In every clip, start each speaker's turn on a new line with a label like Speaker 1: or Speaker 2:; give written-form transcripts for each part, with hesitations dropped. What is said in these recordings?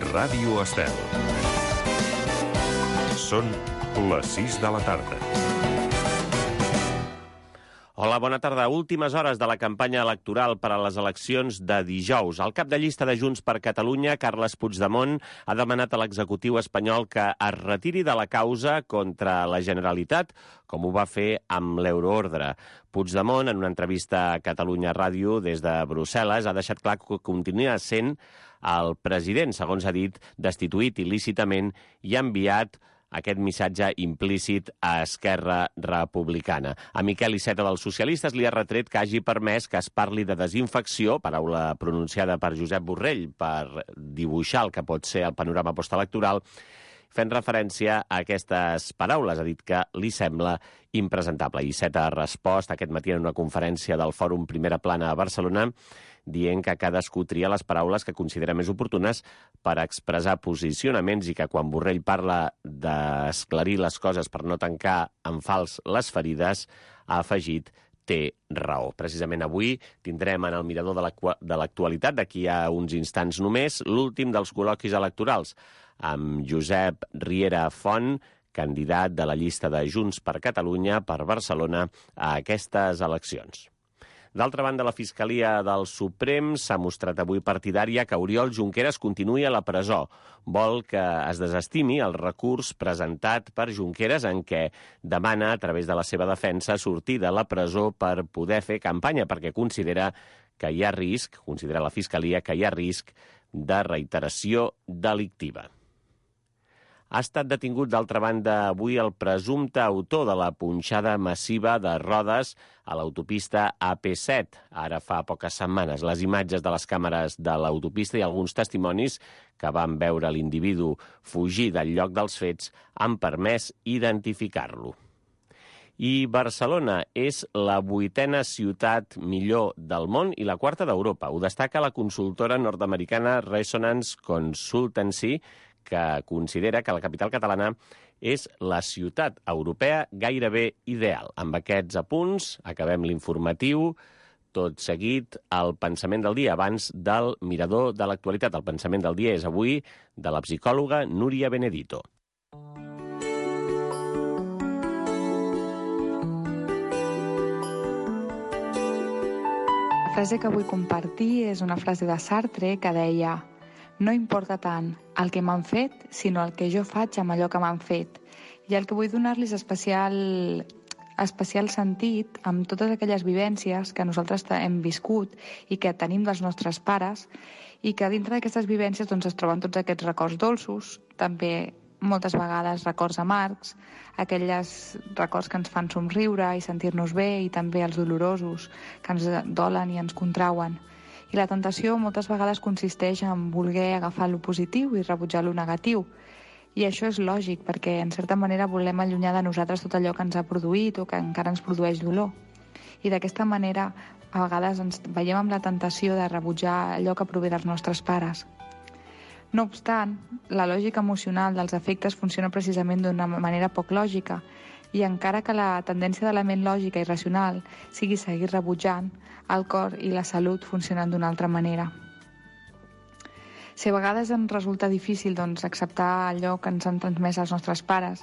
Speaker 1: Ràdio Estel. Són les 6 de la tarda.
Speaker 2: Hola, bona tarda. Últimes hores de la campanya electoral per a les eleccions de dijous. El cap de llista de Junts per Catalunya, Carles Puigdemont, ha demanat a l'executiu espanyol que es retiri de la causa contra la Generalitat, com ho va fer amb l'euroordre. Puigdemont, en una entrevista a Catalunya Ràdio des de Brussel·les, ha deixat clar que continua sent el president, segons ha dit, destituït il·lícitament i ha enviat aquest missatge implícit a Esquerra Republicana. A Miquel Iceta dels Socialistes li ha retret que hagi permès que es parli de desinfecció, paraula pronunciada per Josep Borrell, per dibuixar el que pot ser el panorama postelectoral, fent referència a aquestes paraules. Ha dit que li sembla impresentable. Iceta ha respost aquest matí en una conferència del Fòrum Primera Plana a Barcelona, dient que cadascú tria les paraules que considera més oportunes per expressar posicionaments i que quan Borrell parla d'esclarir les coses per no tancar en fals les ferides, ha afegit té raó. Precisament avui tindrem en el mirador de l'actualitat, d'aquí a uns instants només, l'últim dels col·loquis electorals, amb Josep Riera Font, candidat de la llista de Junts per Catalunya per Barcelona a aquestes eleccions. D'altra banda, la Fiscalia del Suprem s'ha mostrat avui partidària que Oriol Junqueras continuï a la presó. Vol que es desestimi el recurs presentat per Junqueras en què demana, a través de la seva defensa, sortir de la presó per poder fer campanya, perquè considera que hi ha risc, considera la Fiscalia que hi ha risc de reiteració delictiva. Ha estat detingut, d'altra banda, avui el presumpte autor de la punxada massiva de rodes a l'autopista AP7. Ara fa poques setmanes. Les imatges de les càmeres de l'autopista i alguns testimonis que van veure l'individu fugir del lloc dels fets han permès identificar-lo. I Barcelona és la 8a ciutat millor del món i la 4a d'Europa. Ho destaca la consultora nord-americana Resonance Consultancy, que considera que la capital catalana és la ciutat europea gairebé ideal. Amb aquests apunts acabem l'informatiu. Tot seguit, el pensament del dia, abans del mirador de l'actualitat. El pensament del dia és avui de la psicòloga Núria Benedito.
Speaker 3: La frase que vull compartir és una frase de Sartre que deia: no importa tant el que m'han fet, sinó el que jo faig amb allò que m'han fet. I el que vull donar-los especial sentit amb totes aquelles vivències que nosaltres hem viscut i que tenim dels nostres pares, i que dintre d'aquestes vivències es troben tots aquests records dolços, també moltes vegades records amargs, aquells records que ens fan somriure i sentir-nos bé, i també els dolorosos, que ens dolen i ens contrauen. I la tentació moltes vegades consisteix en voler agafar lo positiu i rebutjar lo negatiu. I això és lògic, perquè en certa manera volem allunyar de nosaltres tot allò que ens ha produït o que encara ens produeix dolor. I d'aquesta manera a vegades ens veiem amb la tentació de rebutjar allò que prové dels nostres pares. No obstant, la lògica emocional dels afectes funciona precisament d'una manera poc lògica, i encara que la tendència de la ment lògica i racional sigui seguir rebutjant, el cor i la salut funcionen d'una altra manera. Si a vegades ens resulta difícil acceptar allò que ens han transmès els nostres pares,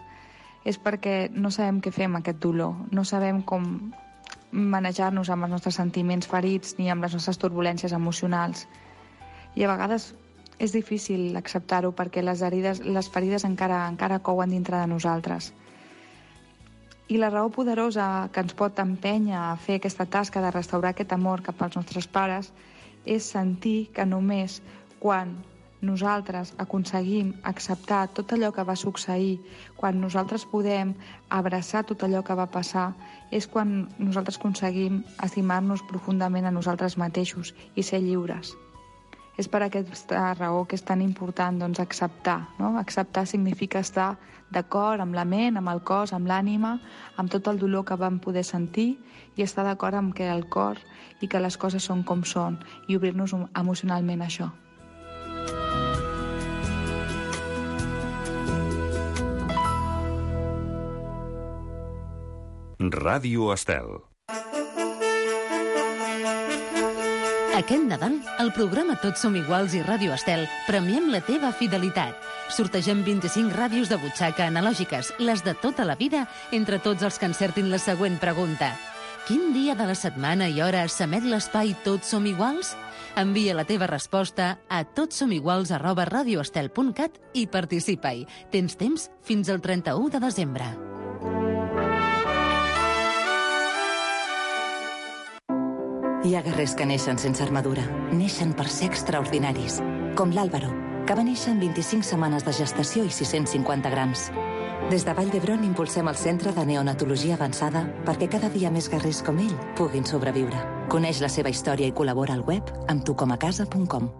Speaker 3: és perquè no sabem què fer amb aquest dolor, no sabem com manejar-nos amb els nostres sentiments ferits ni amb les nostres turbulències emocionals. I a vegades és difícil acceptar-ho perquè les ferides encara couen dintre de nosaltres. I la raó poderosa que ens pot empènyer a fer aquesta tasca de restaurar aquest amor cap als nostres pares és sentir que només quan nosaltres aconseguim acceptar tot allò que va succeir, quan nosaltres podem abraçar tot allò que va passar, és quan nosaltres aconseguim estimar-nos profundament a nosaltres mateixos i ser lliures. És per aquesta raó que és tan important acceptar. No? Acceptar significa estar d'acord amb la ment, amb el cos, amb l'ànima, amb tot el dolor que vam poder sentir, i estar d'acord amb que el cor i que les coses són com són, i obrir-nos emocionalment a això.
Speaker 1: Ràdio Estel.
Speaker 4: Aquest Nadal, al programa Tots som iguals i Ràdio Estel, premiem la teva fidelitat. Sortegem 25 ràdios de butxaca analògiques, les de tota la vida, entre tots els que encertin la següent pregunta. Quin dia de la setmana i hora s'emet l'espai Tots som iguals? Envia la teva resposta a totsomiguals@radioestel.cat i participa-hi. Tens temps fins al 31 de desembre.
Speaker 5: Hi ha guerrers que neixen sense armadura. Neixen per ser extraordinaris. Com l'Àlvaro, que va néixer en 25 setmanes de gestació i 650 grams. Des de Vall d'Hebron impulsem el Centre de Neonatologia Avançada perquè cada dia més guerrers com ell puguin sobreviure. Coneix la seva història i col·labora al web amb tucomacasa.com.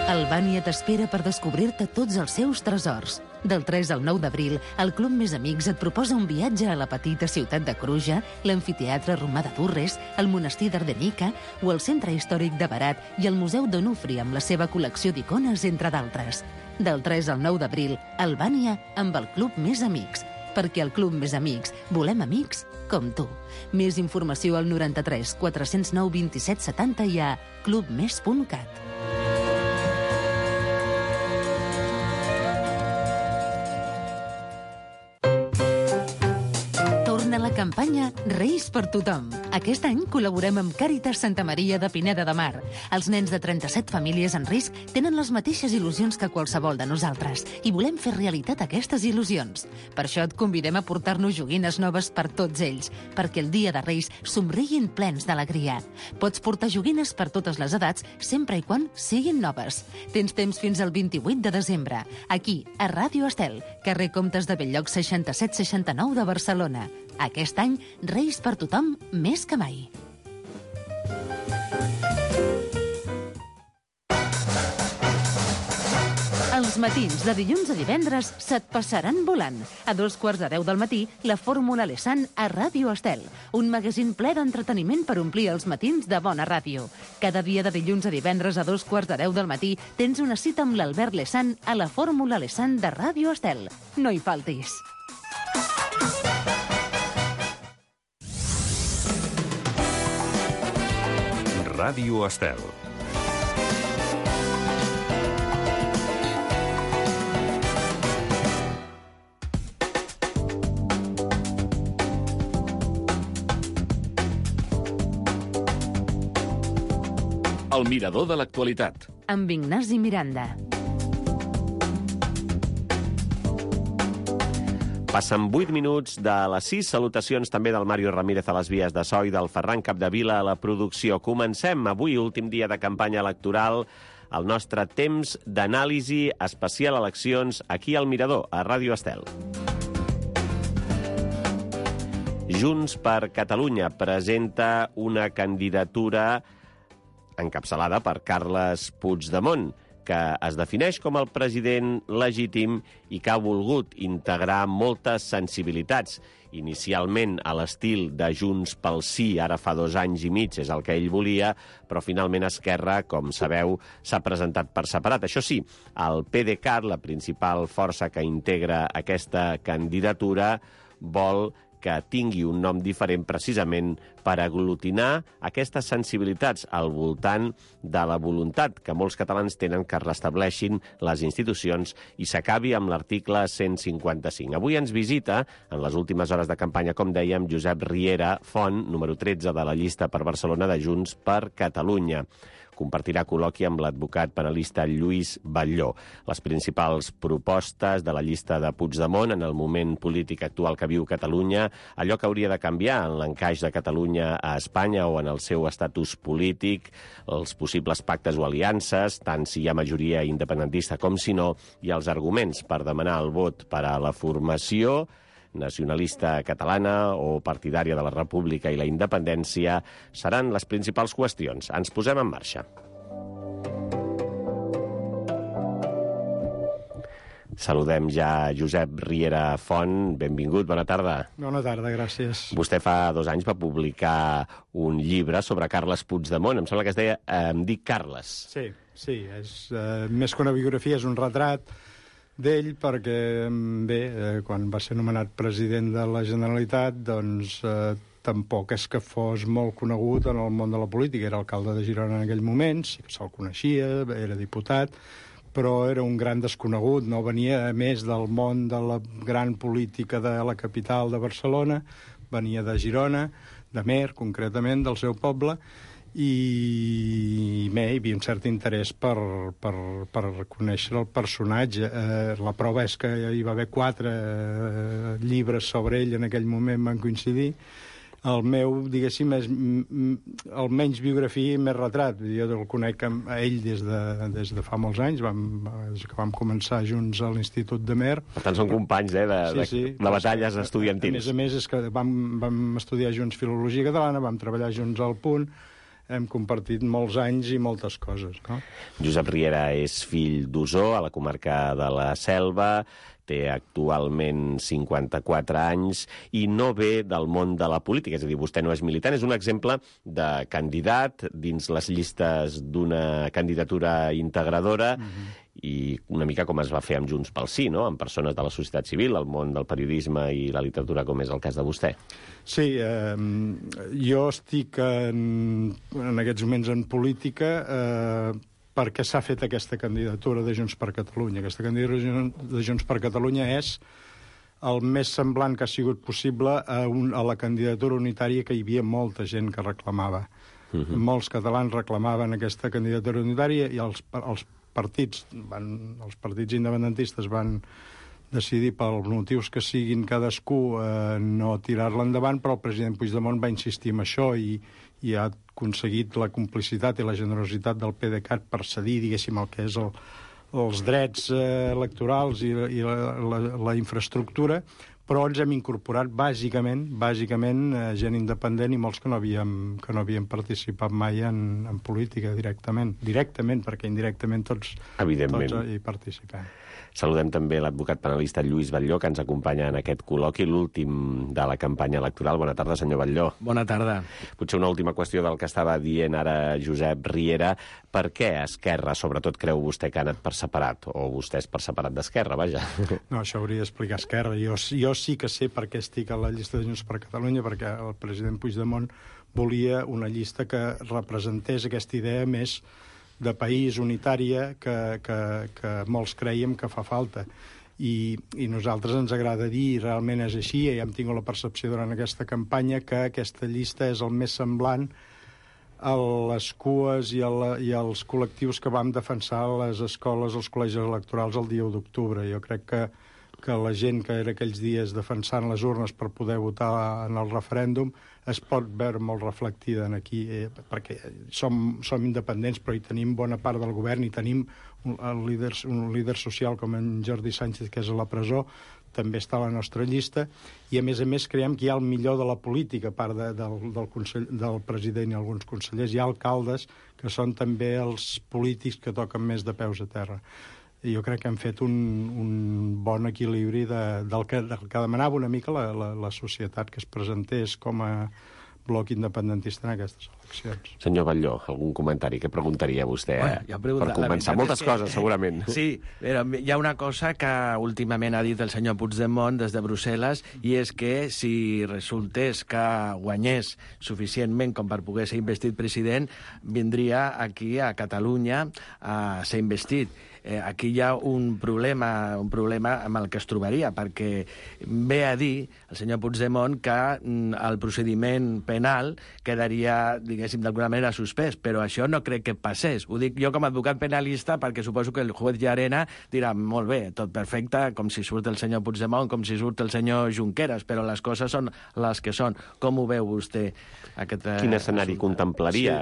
Speaker 4: Albània t'espera per descobrir-te tots els seus tresors. Del 3 al 9 d'abril, el Club Més Amics et proposa un viatge a la petita ciutat de Cruja, l'amfiteatre romà de Durres, el monestir d'Ardenica o el centre històric de Berat i el Museu d'Onufri amb la seva col·lecció d'icones, entre d'altres. Del 3 al 9 d'abril, Albània amb el Club Més Amics. Perquè al Club Més Amics volem amics com tu. Més informació al 93 409 27 70 i a clubmes.cat. La campanya Reis per tothom. Aquest any col·laborem amb Càritas Santa Maria de Pineda de Mar. Els nens de 37 famílies en risc tenen les mateixes il·lusions que qualsevol de nosaltres i volem fer realitat aquestes il·lusions. Per això et convidem a portar-nos joguines noves per tots ells, perquè el dia de Reis somriguin plens d'alegria. Pots portar joguines per totes les edats, sempre i quan siguin noves. Tens temps fins al 28 de desembre, aquí, a Ràdio Estel, carrer Comtes de Belllloc 6769 de Barcelona. Aquest any, Reis per tothom més que mai. Els matins de dilluns a divendres se't passaran volant. A 2:15 del matí, la Fórmula Lesan a Ràdio Estel. Un magazín ple d'entreteniment per omplir els matins de bona ràdio. Cada dia de dilluns a divendres a 2:15 del matí tens una cita amb l'Albert Lesan a la Fórmula Lesan de Ràdio Estel. No hi faltis.
Speaker 1: Ràdio Estel.
Speaker 6: El mirador de l'actualitat.
Speaker 4: Amb Ignasi Miranda.
Speaker 2: Passen 8 minuts de les 6. Salutacions també del Mario Ramírez a les vies de so i del Ferran Capdevila a la producció. Comencem avui, últim dia de campanya electoral, el nostre temps d'anàlisi especial eleccions aquí al Mirador, a Ràdio Estel. Junts per Catalunya presenta una candidatura encapçalada per Carles Puigdemont, que es defineix com el president legítim i que ha volgut integrar moltes sensibilitats. Inicialment a l'estil de Junts pel Sí, ara fa 2 anys i mig, és el que ell volia, però finalment Esquerra, com sabeu, s'ha presentat per separat. Això sí, el PDeCAT, la principal força que integra aquesta candidatura, vol que tingui un nom diferent precisament per aglutinar aquestes sensibilitats al voltant de la voluntat que molts catalans tenen que restableixin les institucions i s'acabi amb l'article 155. Avui ens visita, en les últimes hores de campanya, com dèiem, Josep Riera Font, número 13 de la llista per Barcelona de Junts per Catalunya. Compartirà col·loqui amb l'advocat penalista Lluís Batlló. Les principals propostes de la llista de Puigdemont en el moment polític actual que viu Catalunya, allò que hauria de canviar en l'encaix de Catalunya a Espanya o en el seu estatus polític, els possibles pactes o aliances, tant si hi ha majoria independentista com si no, i els arguments per demanar el vot per a la formació nacionalista catalana o partidària de la República i la independència seran les principals qüestions. Ens posem en marxa. Saludem ja Josep Riera Font. Benvingut, bona tarda.
Speaker 7: Bona tarda, gràcies.
Speaker 2: Vostè fa 2 anys va publicar un llibre sobre Carles Puigdemont. Em sembla que es deia Em dic Carles.
Speaker 7: Sí, és més que una biografia, és un retrat d'ell perquè, bé, quan va ser nomenat president de la Generalitat, doncs tampoc és que fos molt conegut en el món de la política. Era alcalde de Girona en aquell moment, sí que se'l coneixia, era diputat, però era un gran desconegut, no venia més del món de la gran política de la capital de Barcelona, venia de Girona, de Mer, concretament, del seu poble, i hi havia un cert interès per conèixer el personatge. La prova és que hi va haver 4 llibres sobre ell en aquell moment, van coincidir. El meu, diguéssim, és el menys biografia i més retrat. Jo el conec a ell des de fa molts anys, des que vam començar junts a l'Institut de Mer.
Speaker 2: Per tant, són companys, de batalles estudiantils.
Speaker 7: A més, és que vam estudiar junts Filologia Catalana, vam treballar junts al Punt, hem compartit molts anys i moltes coses, no?
Speaker 2: Josep Riera és fill d'Osor, a la comarca de la Selva, té actualment 54 anys i no ve del món de la política, és a dir, vostè no és militant, és un exemple de candidat dins les llistes d'una candidatura integradora i una mica com es va fer amb Junts pel Sí, no?, amb persones de la societat civil, el món del periodisme i la literatura, com és el cas de vostè.
Speaker 7: Sí, jo estic en aquests moments en política perquè s'ha fet aquesta candidatura de Junts per Catalunya. Aquesta candidatura de Junts per Catalunya és el més semblant que ha sigut possible a la candidatura unitària que hi havia molta gent que reclamava. Molts catalans reclamaven aquesta candidatura unitària i els partits independentistes van decidir, pels motius que siguin cadascú, no tirar-la endavant, però el president Puigdemont va insistir en això i ha aconseguit la complicitat i la generositat del PDeCAT per cedir, diguéssim, el que és els drets electorals i la infraestructura, però ens hem incorporat bàsicament gent independent i molts que no havíem participat mai en política directament, perquè indirectament tots hi participem.
Speaker 2: Saludem també l'advocat penalista Lluís Batlló, que ens acompanya en aquest col·loqui, l'últim de la campanya electoral. Bona tarda, senyor Batlló.
Speaker 8: Bona tarda.
Speaker 2: Potser una última qüestió del que estava dient ara Josep Riera. Per què Esquerra, sobretot, creu vostè que ha anat per separat? O vostè és per separat d'Esquerra, vaja.
Speaker 7: No, això hauria d'explicar Esquerra. Jo sí que sé per què estic a la llista de Junts per Catalunya, perquè el president Puigdemont volia una llista que representés aquesta idea més de país unitària que molts creiem que fa falta. I nosaltres ens agrada dir, i realment és així, i hem tingut la percepció durant aquesta campanya, que aquesta llista és el més semblant a les cues i als col·lectius que vam defensar a les escoles, als col·legis electorals el dia 1 d'octubre. Jo crec que la gent que era aquells dies defensant les urnes per poder votar en el referèndum es pot veure molt reflectida aquí, perquè som independents, però hi tenim bona part del govern, i tenim un líder social com en Jordi Sánchez, que és a la presó, també està a la nostra llista, i a més creiem que hi ha el millor de la política, a part del president i alguns consellers. Hi ha alcaldes que són també els polítics que toquen més de peus a terra. I jo crec que hem fet un bon equilibri del que demanava una mica la societat, que es presentés com a bloc independentista en aquestes eleccions.
Speaker 2: Senyor Batlló, algun comentari? Què preguntaria vostè? Per començar, moltes coses, segurament.
Speaker 8: Sí, però hi ha una cosa que últimament ha dit el senyor Puigdemont des de Brussel·les, i és que si resultés que guanyés suficientment com per poder ser investit president, vindria aquí a Catalunya a ser investit. Aquí hi ha un problema amb el que es trobaria, perquè ve a dir el senyor Puigdemont que el procediment penal quedaria, diguéssim, d'alguna manera suspès, però això no crec que passés. Ho dic jo com a advocat penalista perquè suposo que el juez Llarena dirà molt bé, tot perfecte, com si surt el senyor Puigdemont, com si surt el senyor Junqueras, però les coses són les que són. Com ho veu vostè?
Speaker 2: Quin escenari contemplaria?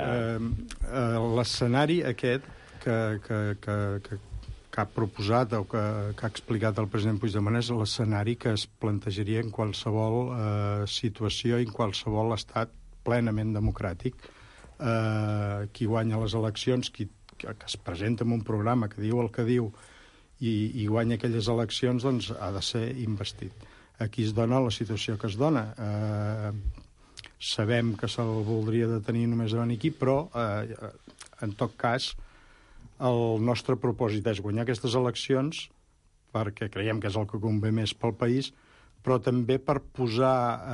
Speaker 7: L'escenari aquest que ha proposat o que ha explicat el president Puigdemont és l'escenari que es plantejaria en qualsevol situació i en qualsevol estat plenament democràtic. Qui guanya les eleccions, que es presenta amb un programa que diu el que diu i guanya aquelles eleccions, doncs ha de ser investit. Aquí es dona la situació que es dona. Sabem que se'l voldria detenir només davant aquí, però en tot cas el nostre propòsit és guanyar aquestes eleccions perquè creiem que és el que convé més pel país, però també per posar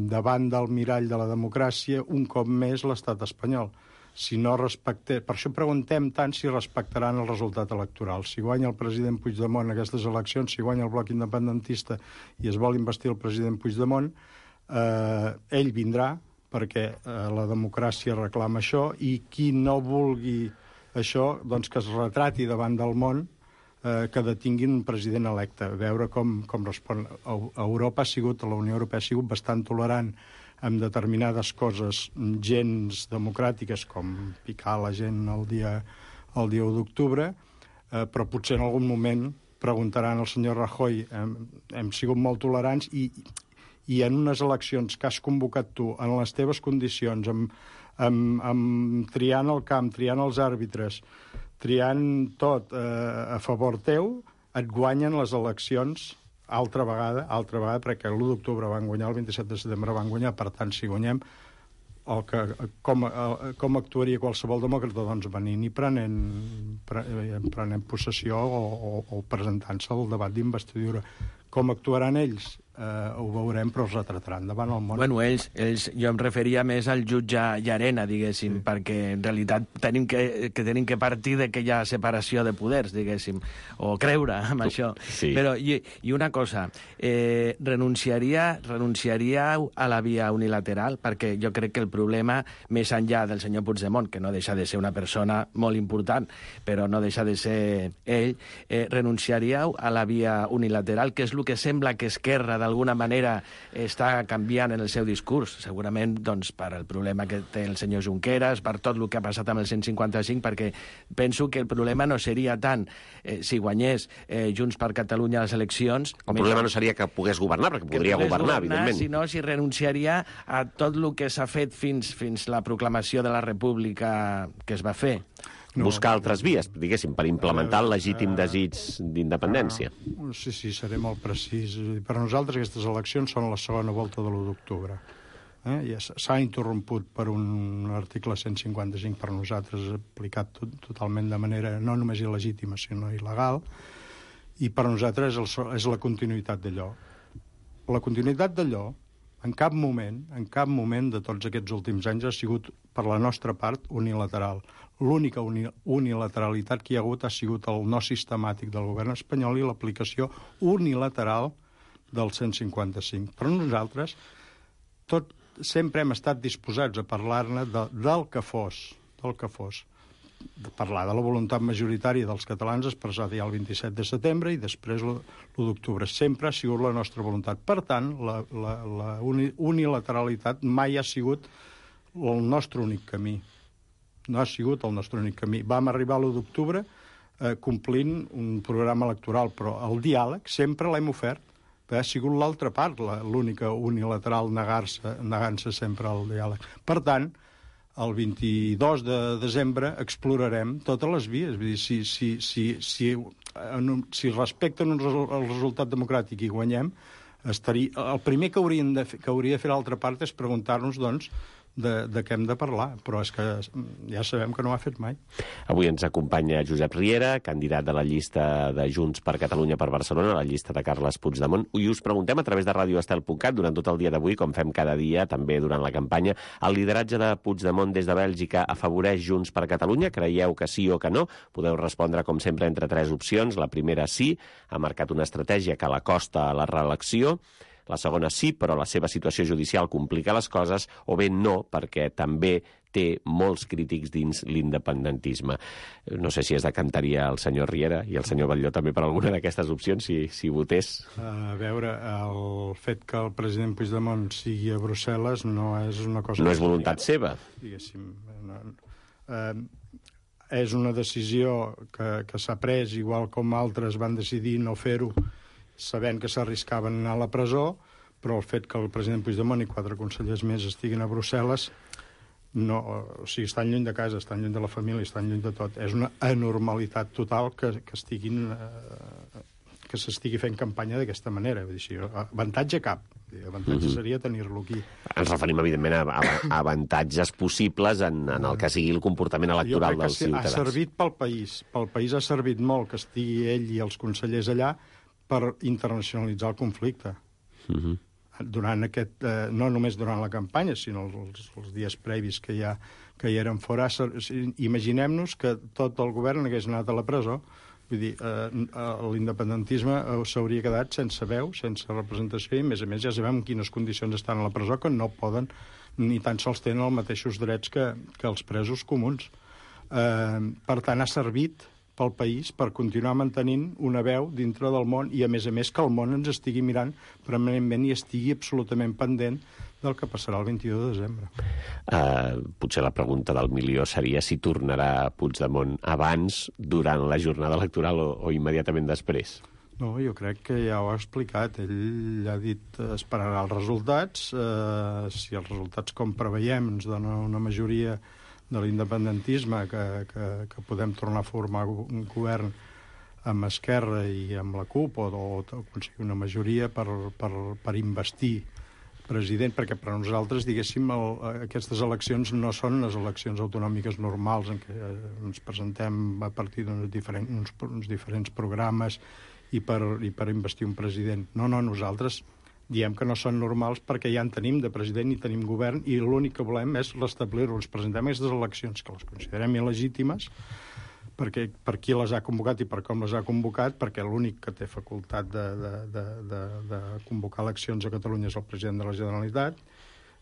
Speaker 7: davant del mirall de la democràcia un cop més l'estat espanyol. Si no respecte... Per això preguntem tant si respectaran el resultat electoral. Si guanya el president Puigdemont aquestes eleccions, si guanya el bloc independentista i es vol investir el president Puigdemont, ell vindrà, perquè la democràcia reclama això, i qui no vulgui això, doncs que es retrati davant del món, que detinguin un president electe, veure com respon. Europa ha sigut, la Unió Europea ha sigut bastant tolerant amb determinades coses gens democràtiques, com picar la gent el dia 1 d'octubre, però potser en algun moment preguntaran al senyor Rajoy, hem sigut molt tolerants i en unes eleccions que has convocat tu, en les teves condicions, triant el camp, triant els àrbitres, triant tot a favor teu, et guanyen les eleccions altra vegada, perquè l'1 d'octubre van guanyar, el 27 de setembre van guanyar, per tant, si guanyem, com actuaria qualsevol demòcrata? Doncs venint i prenent possessió o presentant-se al debat d'investidura. Com actuaran ells? Ho veurem, però es retrataran davant el món.
Speaker 8: Bueno, ells, jo em referia més al jutge Llarena, diguéssim, perquè en realitat tenim que partir de que hi ha separació de poders, diguéssim, o creure en això.
Speaker 2: Sí.
Speaker 8: Però, i una cosa, renunciaríeu a la via unilateral? Perquè jo crec que el problema, més enllà del senyor Puigdemont, que no deixa de ser una persona molt important, però no deixa de ser ell, renunciaríeu a la via unilateral, que és el que sembla que Esquerra, d'alguna manera, està canviant en el seu discurs, segurament doncs, per el problema que té el senyor Junqueras, per tot el que ha passat amb el 155, perquè penso que el problema no seria tant si guanyés Junts per Catalunya a les eleccions...
Speaker 2: El problema no seria que pogués governar, perquè podria governar, evidentment.
Speaker 8: Sinó si renunciaria a tot el que s'ha fet fins la proclamació de la República que es va fer.
Speaker 2: Buscar altres vies, diguéssim, per implementar el legítim desig d'independència.
Speaker 7: Sí, seré molt precís. Per a nosaltres aquestes eleccions són la segona volta de l'1 d'octubre. Ja s'ha interromput per un article 155 per nosaltres aplicat totalment de manera no només il·legítima, sinó il·legal, i per nosaltres és la continuïtat d'allò. La continuïtat d'allò, en cap moment de tots aquests últims anys ha sigut, per la nostra part, unilateral. L'única unilateralitat que hi ha hagut ha sigut el no sistemàtic del govern espanyol i l'aplicació unilateral del 155. Però nosaltres sempre hem estat disposats a parlar-ne del que fos, de parlar de la voluntat majoritària dels catalans expressada ja el 27 de setembre i després l'1 d'octubre. Sempre ha sigut la nostra voluntat. Per tant, la unilateralitat mai ha sigut el nostre únic camí. No ha sigut el nostre únic camí. Vam arribar a l'1 d'octubre complint un programa electoral, però el diàleg sempre l'hem ofert. Ha sigut l'altra part, l'única unilateral negant-se sempre al diàleg. Per tant, el 22 de desembre explorarem totes les vies. Vull dir, si respecten el resultat democràtic i guanyem, el primer que hauria de fer l'altra part és preguntar-nos, doncs, de què hem de parlar, però és que ja sabem que no ho ha fet mai.
Speaker 2: Avui ens acompanya Josep Riera, candidat de la llista de Junts per Catalunya per Barcelona, la llista de Carles Puigdemont, i us preguntem a través de radioestel.cat durant tot el dia d'avui, com fem cada dia, també durant la campanya, el lideratge de Puigdemont des de Bèlgica afavoreix Junts per Catalunya? Creieu que sí o que no? Podeu respondre, com sempre, entre tres opcions. La primera, sí, ha marcat una estratègia que l'acosta a la reelecció. La segona, sí, però la seva situació judicial complica les coses, o bé no, perquè també té molts crítics dins l'independentisme. No sé si es decantaria el senyor Riera i el senyor Batlló també per alguna d'aquestes opcions, si votés.
Speaker 7: A veure, el fet que el president Puigdemont sigui a Brussel·les no és una cosa...
Speaker 2: No és voluntat seva.
Speaker 7: Diguéssim. És una decisió que s'ha pres, igual com altres van decidir no fer-ho, sabent que s'arriscaven a anar a la presó, però el fet que el president Puigdemont i 4 consellers més estiguin a Brussel·les, estan lluny de casa, estan lluny de la família, estan lluny de tot. És una anormalitat total que s'estigui fent campanya d'aquesta manera. Vull dir, avantatge cap. Avantatge seria tenir-lo aquí.
Speaker 2: Ens referim, evidentment, a avantatges possibles en el que sigui el comportament electoral dels ciutadans.
Speaker 7: Ha servit pel país. Pel país ha servit molt que estigui ell i els consellers allà per internacionalitzar el conflicte. Durant aquest, no només durant la campanya, sinó els dies previs que ja eren fora. Imaginem-nos que tot el govern hagués anat a la presó. Vull dir, l'independentisme s'hauria quedat sense veu, sense representació, i a més ja sabem en quines condicions estan a la presó, que no poden ni tan sols tenen els mateixos drets que els presos comuns. Per tant, ha servit pel país per continuar mantenint una veu dintre del món i, a més que el món ens estigui mirant permanentment i estigui absolutament pendent del que passarà el 22 de desembre.
Speaker 2: Potser la pregunta del milió seria si tornarà Puigdemont abans, durant la jornada electoral o immediatament després.
Speaker 7: No, jo crec que ja ho ha explicat. Ell ha dit esperarà els resultats. Si els resultats, com preveiem, ens donen una majoria de l'independentisme que podem tornar a formar un govern amb Esquerra i amb la CUP o aconseguir una majoria per investir president, perquè per a nosaltres, diguéssim, aquestes eleccions no són les eleccions autonòmiques normals en què ens presentem a partir d'uns diferents programes i per investir un president. No, nosaltres diem que no són normals perquè ja en tenim de president i tenim govern i l'únic que volem és restablir-ho. Ens presentem aquestes eleccions que les considerem il·legítimes per qui les ha convocat i per com les ha convocat, perquè l'únic que té facultat de convocar eleccions a Catalunya és el president de la Generalitat,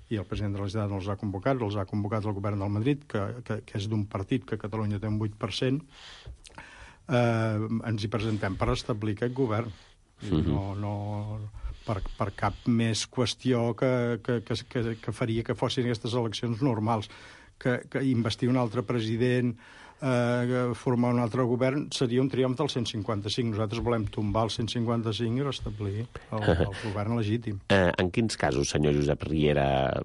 Speaker 7: i el president de la Generalitat no els ha convocat, els ha convocat el govern del Madrid, que és d'un partit que Catalunya té un 8%. Ens hi presentem per establir aquest govern. No per cap més qüestió que faria que fossin aquestes eleccions normals. Que investir un altre president, formar un altre govern, seria un triomf del 155. Nosaltres volem tombar el 155 i restablir el govern legítim.
Speaker 2: En quins casos, senyor Josep Riera,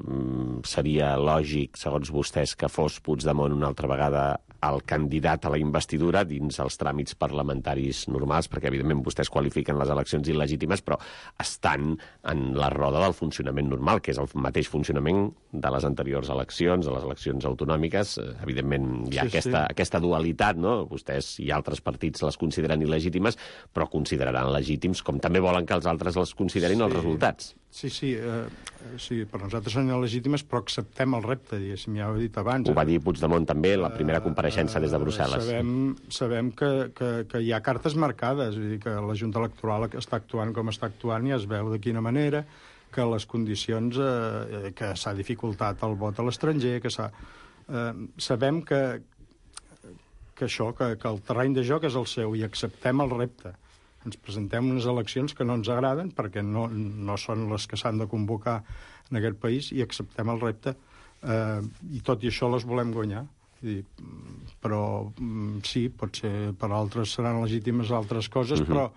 Speaker 2: seria lògic, segons vostès, que fos Puigdemont una altra vegada el candidat a la investidura dins els tràmits parlamentaris normals, perquè evidentment vostès qualifiquen les eleccions il·legítimes, però estan en la roda del funcionament normal, que és el mateix funcionament de les anteriors eleccions, de les eleccions autonòmiques. Evidentment hi ha aquesta dualitat, no? Vostès i altres partits les consideren il·legítimes, però consideraran legítims, com també volen que els altres les considerin els resultats.
Speaker 7: Sí, per nosaltres són il·legítimes, però acceptem el repte, diguéssim, ja ho he dit abans.
Speaker 2: Ho va dir Puigdemont també, la primera compareixença des de Brussel·les.
Speaker 7: Sabem que hi ha cartes marcades, vull dir que la Junta Electoral està actuant com està actuant i es veu de quina manera, que les condicions, que s'ha dificultat el vot a l'estranger, sabem que el terreny de joc és el seu i acceptem el repte. Ens presentem unes eleccions que no ens agraden perquè no són les que s'han de convocar en aquest país i acceptem el repte. I tot i això les volem guanyar. Però sí, potser per altres seran legítimes altres coses, però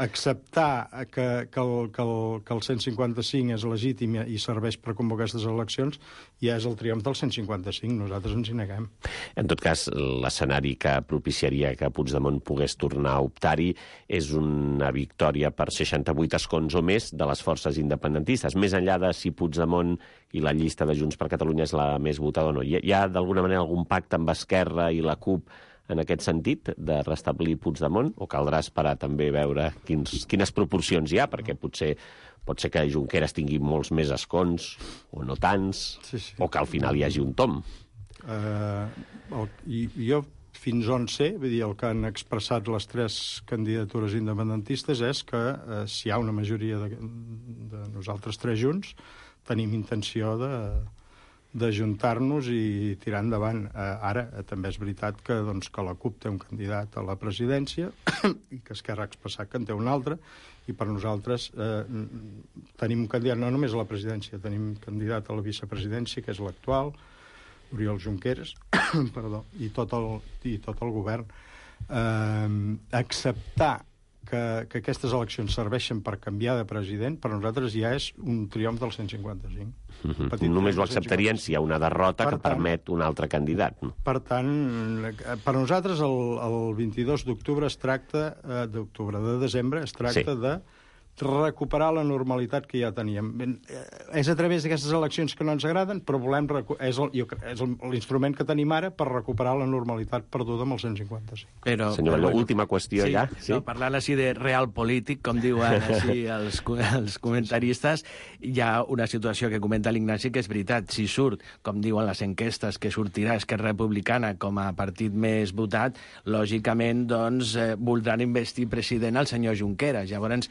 Speaker 7: acceptar que el 155 és legítim i serveix per convocar aquestes eleccions ja és el triomf del 155. Nosaltres ens hi neguem.
Speaker 2: En tot cas, l'escenari que propiciaria que Puigdemont pogués tornar a optar-hi és una victòria per 68 escons o més de les forces independentistes. Més enllà de si Puigdemont i la llista de Junts per Catalunya és la més votada o no. Hi ha d'alguna manera algun pacte amb Esquerra i la CUP en aquest sentit, de restablir Puigdemont, o caldrà esperar també veure quines proporcions hi ha, perquè pot ser que Junqueras tingui molts més escons, o no tants, o que al final hi hagi un tom.
Speaker 7: Jo, fins on sé, vull dir, el que han expressat les tres candidatures independentistes és que si hi ha una majoria de nosaltres tres junts, tenim intenció d'ajuntar-nos i tirar endavant. Ara, també és veritat que la CUP té un candidat a la presidència i que Esquerra ha expressat que en té un altre, i per nosaltres tenim un candidat no només a la presidència, tenim candidat a la vicepresidència, que és l'actual, Oriol Junqueras, i tot el govern. Acceptar que aquestes eleccions serveixen per canviar de president, per nosaltres ja és un triomf del 155.
Speaker 2: Només ho acceptarien si hi ha una derrota que permet un altre candidat.
Speaker 7: Per tant, per nosaltres el 22 d'octubre de desembre es tracta de recuperar la normalitat que ja teníem. És a través d'aquestes eleccions que no ens agraden, però volem és l'instrument que tenim ara per recuperar la normalitat perduda amb el 155.
Speaker 2: Però, senyor Batlló, última qüestió ja.
Speaker 8: Sí? No, parlant així de real polític, com diuen així els comentaristes, hi ha una situació que comenta l'Ignasi que és veritat. Si surt, com diuen les enquestes, que sortirà Esquerra Republicana com a partit més votat, lògicament doncs, voldran investir president al senyor Junqueras. Llavors,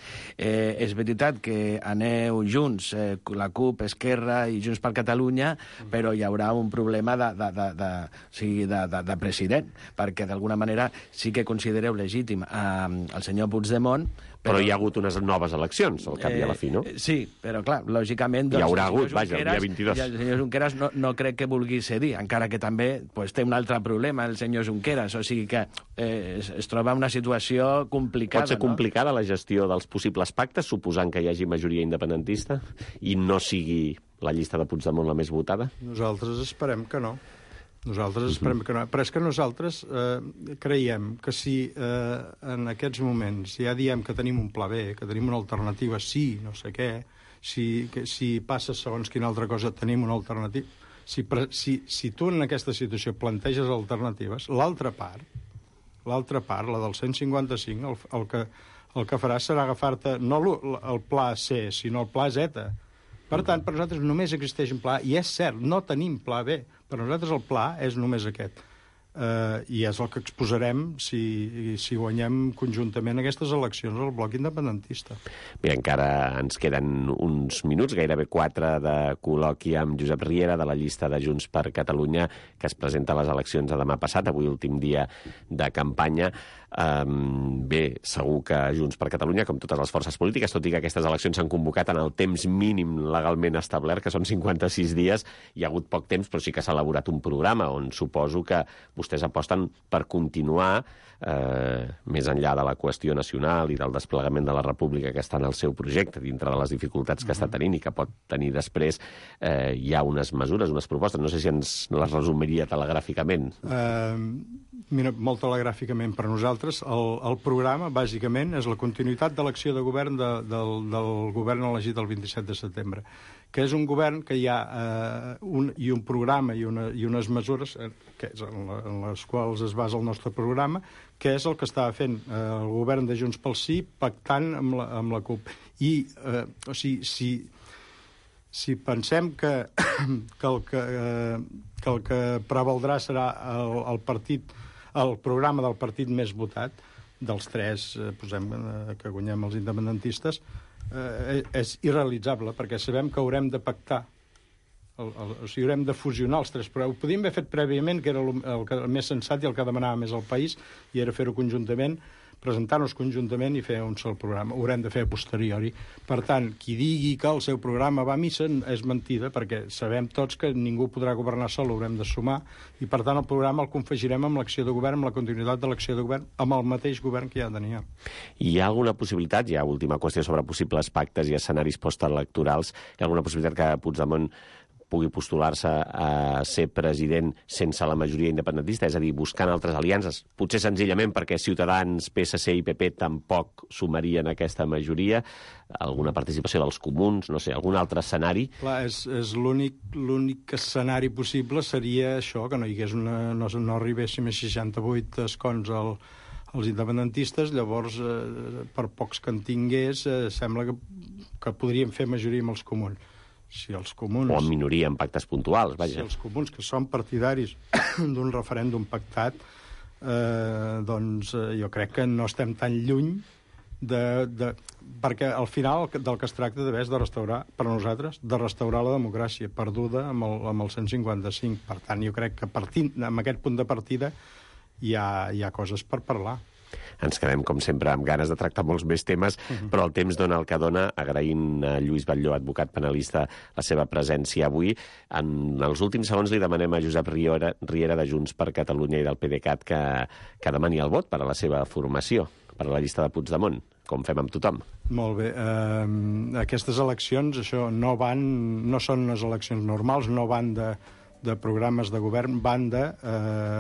Speaker 8: és veritat que aneu junts, la CUP, Esquerra i Junts per Catalunya, però hi haurà un problema de president, perquè d'alguna manera sí que considereu legítim el senyor Puigdemont,
Speaker 2: però hi ha hagut unes noves eleccions, al cap i a la fi, no?
Speaker 8: Sí, però clar, lògicament...
Speaker 2: Hi haurà hagut, vaja, el dia 22.
Speaker 8: I el senyor Junqueras no crec que vulgui cedir, encara que també té un altre problema, el senyor Junqueras, o sigui que es troba en una situació complicada.
Speaker 2: Pot ser complicada la gestió dels possibles pactes, suposant que hi hagi majoria independentista, i no sigui la llista de Puigdemont la més votada?
Speaker 7: Nosaltres esperem que no. Esperem que no. Però és que nosaltres creiem que si en aquests moments ja diem que tenim un pla B, que tenim una alternativa, sí, no sé què, si passa segons quina altra cosa tenim una alternativa, si tu en aquesta situació planteges alternatives, l'altra part, la del 155, el que farà serà agafar-te no el pla C, sinó el pla Z. Per tant, per nosaltres només existeix un pla, i és cert, no tenim pla B. Per nosaltres el pla és només aquest. I és el que exposarem si guanyem conjuntament aquestes eleccions al bloc independentista.
Speaker 2: Mira, encara ens queden uns minuts, gairebé 4 de col·loqui amb Josep Riera, de la llista de Junts per Catalunya, que es presenta a les eleccions de demà passat, avui últim dia de campanya. Bé, segur que Junts per Catalunya, com totes les forces polítiques, tot i que aquestes eleccions s'han convocat en el temps mínim legalment establert, que són 56 dies, hi ha hagut poc temps, però sí que s'ha elaborat un programa on suposo que vostès aposten per continuar més enllà de la qüestió nacional i del desplegament de la república que està en el seu projecte, dintre de les dificultats que està tenint i que pot tenir després. Hi ha unes mesures, unes propostes, no sé si ens les resumiria telegràficament.
Speaker 7: Mira, molt telegràficament per nosaltres, el programa, bàsicament, és la continuïtat de l'acció de govern del govern elegit el 27 de setembre, que és un govern que hi ha un programa i unes mesures en les quals es basa el nostre programa, que és el que estava fent el govern de Junts pel Sí pactant amb la CUP. I, o sigui, si pensem que el que prevaldrà serà el programa del partit més votat, dels 3, posem que guanyem els independentistes, és irrealitzable, perquè sabem que haurem de pactar, o sigui, haurem de fusionar els 3, però ho podíem haver fet prèviament, que era el més sensat i el que demanava més el país, i era fer-ho conjuntament, presentar-nos conjuntament i fer un sol programa. Ho haurem de fer a posteriori. Per tant, qui digui que el seu programa va a missa és mentida, perquè sabem tots que ningú podrà governar sol, haurem de sumar, i per tant el programa el confegirem amb l'acció de govern, amb la continuïtat de l'acció de govern, amb el mateix govern que ja teníem.
Speaker 2: Hi ha alguna possibilitat, hi ha última qüestió sobre possibles pactes i escenaris postelectorals, hi ha alguna possibilitat que Puigdemont pugui postular-se a ser president sense la majoria independentista, és a dir, buscant altres aliances, potser senzillament perquè Ciutadans, PSC i PP tampoc sumarien aquesta majoria, alguna participació dels comuns, no sé, algun altre escenari?
Speaker 7: Clar, és l'únic escenari possible seria això, que no hi hagués no arribéssim a 68 escons als independentistes, llavors, per pocs que en tingués, sembla que podríem fer majoria amb els comuns. Si els comuns...
Speaker 2: O en minoria, en pactes puntuals, vaja.
Speaker 7: Si els comuns, que són partidaris d'un referèndum pactat, doncs jo crec que no estem tan lluny perquè al final del que es tracta d'haver és de restaurar, per nosaltres, de restaurar la democràcia perduda amb el 155. Per tant, jo crec que partint amb aquest punt de partida hi ha coses per parlar.
Speaker 2: Ens quedem, com sempre, amb ganes de tractar molts més temes, però el temps dona el que dona, agraint a Lluís Batlló, advocat penalista, la seva presència avui. En els últims segons li demanem a Josep Riera de Junts per Catalunya i del PDeCAT que demani el vot per a la seva formació, per a la llista de Puigdemont, com fem amb tothom.
Speaker 7: Molt bé. Aquestes eleccions, això, no són unes eleccions normals, no van de programes de govern, van de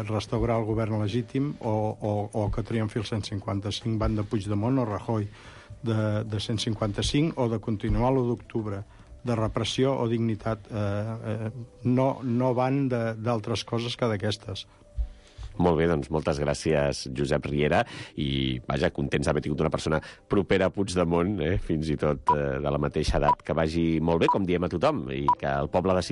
Speaker 7: restaurar el govern legítim o que triomfi el 155, van de Puigdemont o Rajoy. de 155 o de continuar l'1 d'octubre, de repressió o dignitat, no van d'altres coses que d'aquestes.
Speaker 2: Molt bé, doncs moltes gràcies, Josep Riera, i vaja, contents d'haver tingut una persona propera a Puigdemont, fins i tot de la mateixa edat, que vagi molt bé, com diem a tothom, i que el poble decideix.